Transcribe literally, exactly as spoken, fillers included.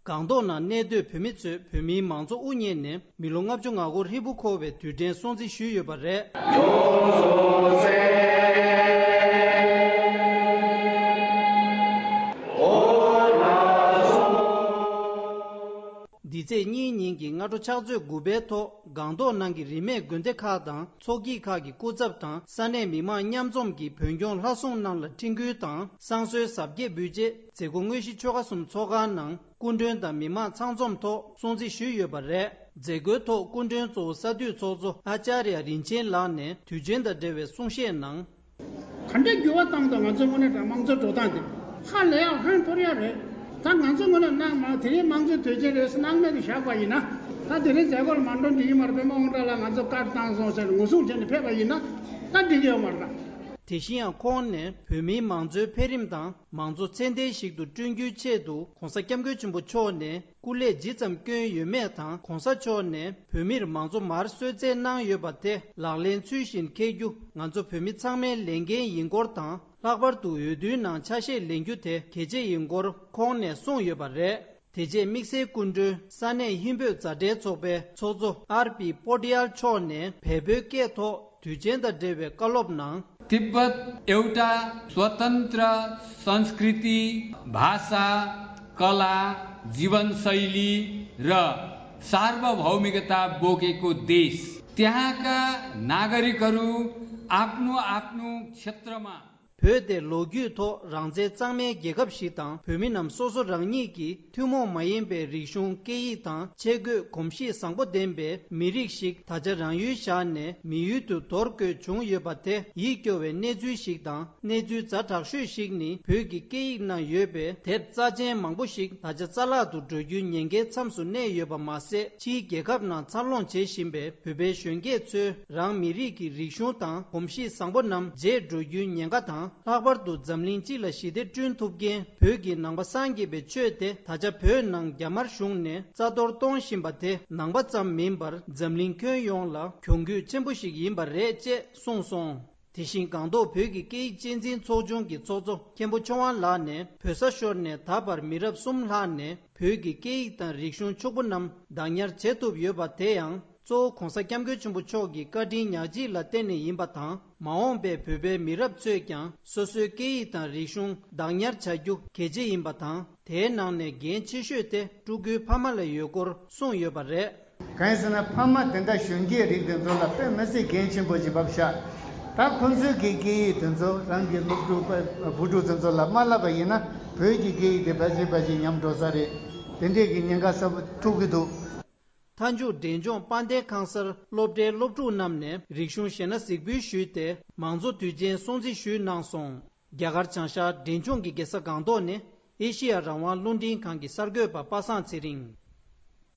སྒང་ཏོག་ནང་གནས་སྡོད་བོད་མི་ཚོས་བོད་མིའི་མང་གཙོ་དབུ་བརྙེས་ནས་མི་ལོ་ལྔ་བཅུ་ང་འཁོར་ཧྲིལ་པོ་འཁོར་བའི་དུས་དྲན་སྲུང་བརྩི་ཞུས་ཡོད་པ་རེད། འདི་ཚེས་གཉིས་ཉིན་གྱི་སྔ་དྲོ་ཕྱག་ཚོད་དགུ་པའི་ཐོག་སྒང་ཏོག་ནང་གི་རིས་མེད་དགོན་སྡེ་ཁག་དང་ཚོགས་སྐྱིད་ཁག་གི་སྐུ་ཚབ་དང་ས་གནས་མི་མང་མཉམ་འཛོམས་ཀྱིས་བོད་སྐྱོང་ལྷ་སྲུང་རྣམས་ལ་འཕྲིན་བསྐུལ་དང་བསང་གསོལ་གཟབ་རྒྱས་འབུལ་རྗེས་མཛད་སྒོ་དངོས་གཞི་ཆོལ་ཁ་གསུམ་ཚོགས་ཁང་ནང་སྐུ་མགྲོན་དང་མི་མང་ཚང་འཛོམས་ཐོག་སྲུང་བརྩི་ཞུས་ཡོད་པ་རེད། མཛད་སྒོའི་ཐོག་སྐུ་མགྲོན་གཙོ་བོ་ས་འཐུས་ཚོགས་གཙོ་ཨ་ཅཱརྱ་རིན་ཆེན་ལགས་ནས་དུས་ཆེན་དང་འབྲེལ་བའི་གསུང་བཤད་ནང་། ག་འདྲ་འགྱུར་བ་བཏང་འདུག་ང་ཚོའི་དངོས་གནས་དྲང་དམངས་གཙོའི་འགྲོ་སྟངས་དེ་ཧ་ལས་ཡག་ཧོན་ཐོར་ཡག་རེད། ད་ང་ཚོའི་དངོས་གནས་གནང་མ་དེ་རིང་དམངས་གཙོའི་དུས་ཆེན་རེད་ཟེར་སྣང་མེད་དུ་བཞག་པ་ཡིན་ན། ད་དེ་རིང་མཛད་སྒོར་མ་འགྲོ་འགྲིག་གི་མ་རེད། པདྨ་དབང་གྲགས་ལགས་ང་ཚོ་བཀའ་བཏང་སོང་ཟེར་ངོ་སྲུང་བྱས་ནས་ཕེབས་པ་ཡིན་ན་ད་འགྲིག་གི་ཡོད་མ་རེད་ད། དེ་བཞིན་ཡང་ཁོང་ནས་བོད་མིའི་མང་གཙོའི་འཕེལ་རིམ་དང་མང་གཙོ་ཚད་ལྡན་ཞིག་ཏུ་བསྐྲུན་རྒྱུའི་ཆེད་དུ་༸གོང་ས་༸སྐྱབས་མགོན་ཆེན་པོ་མཆོག་ནས་སྐུ་ལས་ཇི་ཙམ་བསྐྱོན་ཡོད་མེད་དང་༸གོང་ས་མཆོག་ནས་བོད་མིར་མང་གཙོ་མར་གསོལ་སྩལ་གནང་ཡོད་པ་དེ་ལག་ལེན་ཚུལ་བཞིན་འཁེལ་རྒྱུ་ང་ཚོ་བོད་མི་ཚང་མའི་ལས་འགན་ཡིན་སྐོར་དང་། ལྷག་པར་དུ་འོས་བསྡུའི་ནང་ཆ་ཤས་ལེན་རྒྱུ་དེ་གལ་ཆེ་ཡིན་སྐོར་ཁོང་ནས་གསུངས་ཡོད་པ་རེད། དེ་རྗེས་དམིགས་བསལ་སྐུ་མགྲོན་ས་གནས་ཧིན་བོད་མཛའ་འབྲེལ་ཚོགས་པའི་ཚོགས་གཙོ་ཨར་པི་པོ་ཏི་ཡལ་མཆོག་ནས་བལ་པོའི་སྐད་ཐོག་དུས་ཆེན་དང་འབྲེལ་བའི་བཀའ་སློབ་ནང་། तिब्बत एउटा स्वतन्त्र संस्कृति, भाषा, कला, जीवनशैली र सार्वभौमिकता बोकेको देश। त्यहाँका नागरिकहरू आफ्नो आफ्नो क्षेत्रमा བོད་དེ་ལོ་རྒྱུས་ཐོག་རང་བཙན་གཙང་མའི་རྒྱལ་ཁབ་ཞིག་དང་བོད་མི་རྣམས་སོ་སོ་རང་ཉིད་ཀྱི་ཐུན་མོང་མ་ཡིན་པའི་རིག་གཞུང་སྐད་ཡིག་དང་ཆས་གོས་གོམས་གཤིས་བཟང་པོ་ལྡན་པའི་མི་རིགས་ཤིག་ད་ཆ་རང་ཡུལ་བཞག་ནས་མི་ཡུལ་དུ་འདོར་དགོས་བྱུང་ཡོད་པ་དེ་ཡིད་སྐྱོ་བའི་གནས་ཚུལ་ཞིག་དང་། གནས་ཚུལ་ཛ་དྲག་ཤོས་ཤིག་ནི་བོད་ཀྱི་སྐད་ཡིག་ནང་ཡོད་པའི་དེབ་རྩ་ཆེན་མང་པོ་ཞིག་ད་ཆ་རྩ་བརླག་ཏུ་འགྲོ་རྒྱུའི་ཉེན་ཁའི་མཚམས་སུ་གནས་ཡོད་པ་མ་ཟད། ཕྱིའི་རྒྱལ་ཁབ་ནང་འཚར་ལོངས་བྱེད་བཞིན་པའི་བོད་པའི་གཞོན་སྐྱེས་ཚོས་རང་མི་རིགས་ཀྱི་རིག་གཞུང་དང་གོམས་གཤིས་བཟང་པོ་རྣམས་བརྗེད་འགྲོ་རྒྱུའི་ཉེན་ཁ་དང་། ལྷག་པར་དུ་འཛམ་གླིང་སྤྱི་ལ་ཞི་བདེ་བསྐྲུན་ཐུབ་མཁན་བོད་ཀྱི་ནང་པ་སངས་རྒྱས་པའི་ཆོས་དེ་ད་ཆ་བོད་ནང་རྒྱ་དམར་གཞུང་ནས་རྩ་གཏོར་གཏོང་བཞིན་པ་དེ་ནང་པ་ཙམ་མིན་པར་འཛམ་གླིང་ཁྱོན་ཡོངས་ལ་གྱོང་གུད་ཆེན་པོ་ཞིག་ཡིན་པ་རེད་ཅེས་གསུངས་སོང་། དེ་བཞིན་སྒང་ཏོག་བོད་ཀྱི་སྐད་ཡིག་གཅེས་འཛིན་ཚོགས་ཆུང་གི་ཚོགས་གཙོ་མཁན་པོ་ཆོས་དབང་ལགས་ནས་བོད་ས་ཤོར་ནས་ད་བར་མི་རབས་གསུམ་ལྷག་ནས་བོད་ཀྱི་སྐད་ཡིག་དང་རིག་གཞུང་ཕྱུག་པོ་རྣམས་བདག་ཉར་བྱེད་ཐུབ་ཡོད་པ་དེ་ཡང་གཙོ་བོ་༸གོང་ས་༸སྐྱབས་མགོན་ཆེན་པོ་མཆོག་གི་བཀའ་དྲིན་ཉག་གཅིག་ལ་བརྟེན་ནས་ཡིན་པ་དང་། མ་འོངས་པའི་བོད་པའི་མི་རབས་ཚོས་ཀྱང་སོ་སོའི་སྐད་ཡིག་དང་རིག་གཞུང་བདག་ཉར་བྱ་རྒྱུ་གལ་ཆེ་ཡིན་པ་དང་། དེའི་ནང་ནས་འགན་ཆེ་ཤོས་དེ་ཕྲུ་གུའི་ཕ་མ་ལ་ཡོད་སྐོར་གསུངས་ཡོད་པ་རེད། གང་ཡིན་ཟེར་ན་ཕ་མ་དེ་འདྲ་གཞོན་སྐྱེས་རིགས་དེ་ཚོ་ལ་དཔེ་མི་སྲིད་འགན་ཆེན་པོ་ཅིག་བབས་ཤག་ད་ཁོ་ཚོའི་གི་སྐད་ཡིག་དེ་ཚོ་རང་གི་སློབ་ཕྲུག་བུ་ཕྲུག་དེ་ཚོ་ལ་མ་བསླབ་པ་ཡིན་ན་བོད་ཀྱི་སྐད་ཡིག་དེ་ཕལ་ཆེར་ཕལ་ཆེར་ཉམས་འགྲོ་ས་རེད། དེ་འདྲས་ཀྱི་ཉེན་ཁ་གསར་པ་ཐུག་གི་འདུག་མཐའ་མཇུག་འབྲས་ལྗོངས་དཔལ་ལྡན་ཁང་གསར་སློབ་གྲྭའི་སློབ་ཕྲུག་རྣམས་ནས་རིག་གཞུང་གཞས་སྣ་གཟིགས་འབུལ་ཞུས་ཏེ་མང་གཙོ་དུས་ཆེན་སྲུང་བརྩི་ཞུས་གནང་སོང་། རྒྱ་གར་བྱང་ཤར་འབྲས་ལྗོངས་ཀྱི་རྒྱལ་ས་སྒང་ཏོག་ནས་ཨེ་ཤི་ཡ་རང་དབང་རླུང་འཕྲིན་ཁང་གི་གསར་འགོད་པ་པ་སངས་ཚེ་རིང་།